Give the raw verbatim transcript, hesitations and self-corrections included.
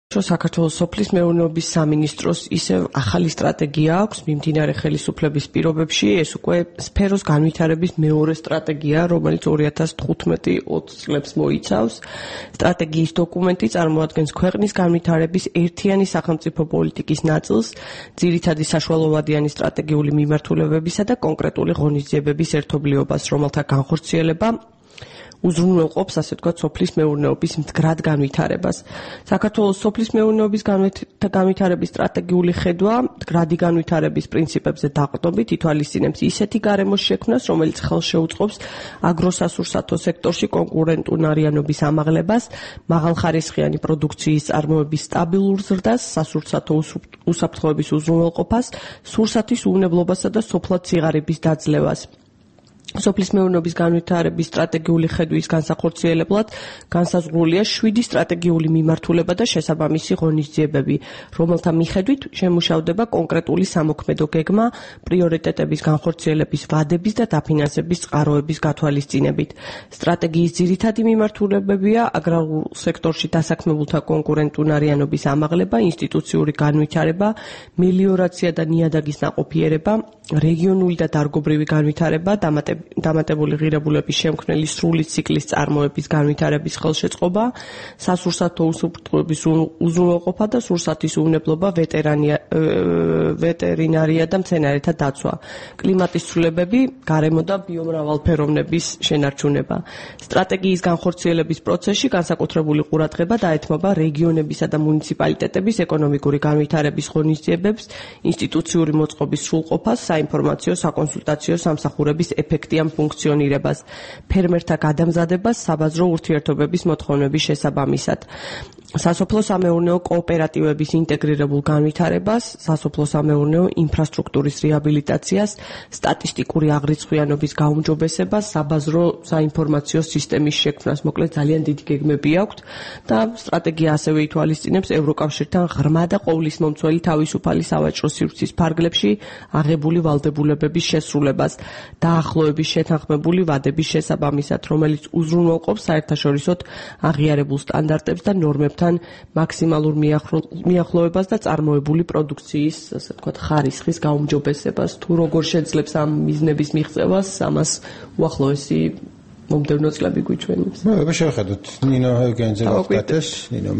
საქართველოს სოფლის მეურნეობის სამინისტროს ისევ ახალი სტრატეგია აქვს მიმდინარე ხელისუფლების პირობებში. ეს უკვე სფეროს განვითარების მეორე სტრატეგია, რომელიც ორი ათას თხუთმეტი ოცი წლებს მოიცავს. სტრატეგიის დოკუმენტი წარმოადგენს ქვეყნის განვითარების ერთიანი სახელმწიფო პოლიტიკის ნაწილს, ძირითადი საშუალოვადიანი სტრატეგიული მიმართულებებისა და კონკრეტული ღონისძიებების ერთობლიობას, რომელთა განხორციელება უზრუნველყოფს, ასე ვთქვათ, სოფლის მეურნეობის მდგრად განვითარებას. საქართველოს სოფლის მეურნეობის განვითარების სტრატეგიული ხედვა მდგრადი განვითარების პრინციპებზე დაყრდნობით ითვალისწინებს ისეთი გარემოს შექმნას, რომელიც ხელს შეუწყობს აგროსასურსათო სექტორში კონკურენტუნარიანობის ამაღლებას, მაღალხარისხიანი პროდუქციის წარმოების სტაბილურ ზრდას, სასურსათო უსაფრთხოების უზრუნველყოფას, სურსათის უვნებლობასა და სოფლად სიღარიბის დაძლევას. სოფლის მეურნეობის განვითარების სტრატეგიული ხედვის განსახორციელებლად განსაზღვრულია შვიდი სტრატეგიული მიმართულება და შესაბამისი ღონისძიებები, რომელთა მიხედვით შემუშავდება კონკრეტული სამოქმედო გეგმა პრიორიტეტების განხორციელების ვადების და დაფინანსების წყაროების გათვალისწინებით. სტრატეგიის ძირითადი მიმართულებებია აგრარულ სექტორში დასაქმებულთა კონკურენტუნარიანობის ამაღლება, ინსტიტუციური განვითარება, მელიორაცია და ნიადაგის ნაყოფიერება, რეგიონული და დარგობრივი განვითარება, დამატებული ღირებულების შემქმნელი სრული ციკლის წარმოების განვითარების ხელშეწყობა, სასურსათო უსაფრთხოების უზრუნველყოფა და სურსათის უვნებლობა, ვეტერინარია და მცენარეთა დაცვა, კლიმატის ცვლილებები, გარემო და ბიომრავალფეროვნების შენარჩუნება. სტრატეგიის განხორციელების პროცესში განსაკუთრებული ყურადღება დაეთმობა რეგიონებისა და მუნიციპალიტეტების ეკონომიკური განვითარების ღონისძიებებს, ინსტიტუციური მოწყობის სრულყოფას, საინფორმაციო, საკონსულტაციო სამსახურების ეფექტიან ფუნქციონირებას, ფერმერთა გადამზადებას, საბაზრო ურთიერთობების მოთხოვნების შესაბამისად. სასოფლო-სამეურნეო კოოპერატივების ინტეგრირებულ განვითარებას, სასოფლო-სამეურნეო ინფრასტრუქტურის რეაბილიტაციას, სტატისტიკური აღრიცხვიანობის გაუმჯობესებას, საბაზრო საინფორმაციო სისტემის შექმნას. მოკლედ ძალიან დიდი გეგმები აქვთ და სტრატეგია ასევე ითვალისწინებს ევროკავშირთან ღრმა და ყოვლისმომცველი თავისუფალი სავაჭრო სივრცის ფარგლებში აღებული ვალდებულებების შესრულებას, დაახლოების შეთანხმებული ვადების შესაბამისად, რომელიც უზრუნველყოფს საერთაშორისოდ აღიარებულ სტანდარტებს და ნორმებთან მაქსიმალურ მიახლოებას და წარმოებული პროდუქციის, ასე ვთქვათ, ხარისხის გაუმჯობესებას. თუ როგორ შეძლებს ამ მიზნების მიღწევას, ამას უახლოესი მომდევნო წლები გვიჩვენებს. ნუ, შევხედოთ. ნინო ევგენიძე გახდათ. ნინო